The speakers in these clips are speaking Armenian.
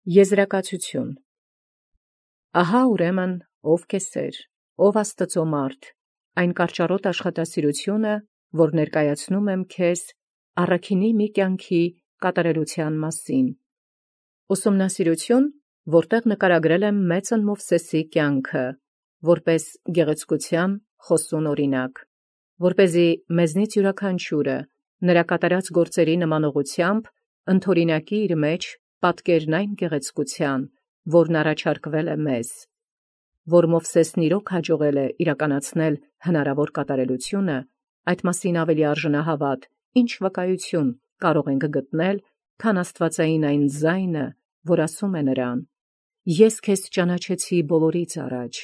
Եզրակացություն։ Ահա ուրեմն ով կեսեր, ով Աստուծոյ մարդ, այն կարճառոտ աշխատասիրությունը, որ ներկայացնում եմ քեզ առաքինի մի կյանքի կատարելութեան մասին։ Ուսումնասիրություն, որտեղ նկարագրել եմ մեծն Մովսեսի կյանքը, որպես գեղեցկության խոսուն օրինակ, որպեսզի մեզնից յուրաքանչյուրը նրա կատարած գործերի նմանողությամբ ընթորինակի իր մեջ պատկերն այն գեղեցկության, որն առաջարկվել է մեզ, որ Մովսեսն իրոք հաջողել է իրականացնել հնարավոր կատարելությունը, այդ մասին ավելի արժանահավատ ինչ վկայություն կարող ենք գտնել, քան աստվածային այն ձայնը, որ ասում է նրան. «Ես քեզ ճանաչեցի բոլորից առաջ»,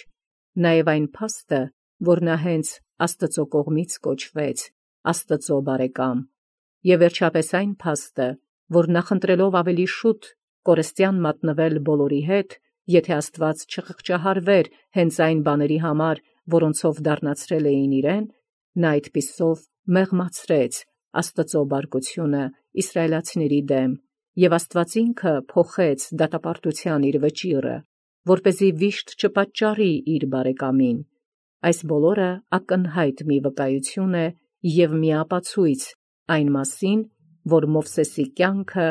նաև այն փաստը, որ նա հենց Աստծո կողմից կոչվեց, Աստծո բարեկամ, և վերջապես այն փաստը, որ նախընտրելով ավելի շուտ կորստյան մատնվել բոլորի հետ, եթե Աստված չխղճահարվեր հենց այն բաների համար, որոնցով դառնացրել էին իրեն, նա այդպիսով մեղմացրեց Աստծո բարկությունը իսրայելացիների դեմ, և Աստված ինքը փոխեց դատապարտութեան իր վճիռը, որպեսզի վիշտ չպատճառի իր բարեկամին։ Այս բոլորը ակնհայտ մի վկայություն է և մի ապացույց այն մասին, որ Մովսեսի կյանքը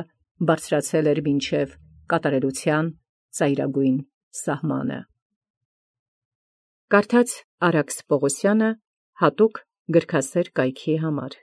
բարձրացել էր մինչև կատարելութեան ծայրագույն սահմանը։ Կարդաց Արաքս Պողոսյանը հատուկ գրքասեր կայքի համար։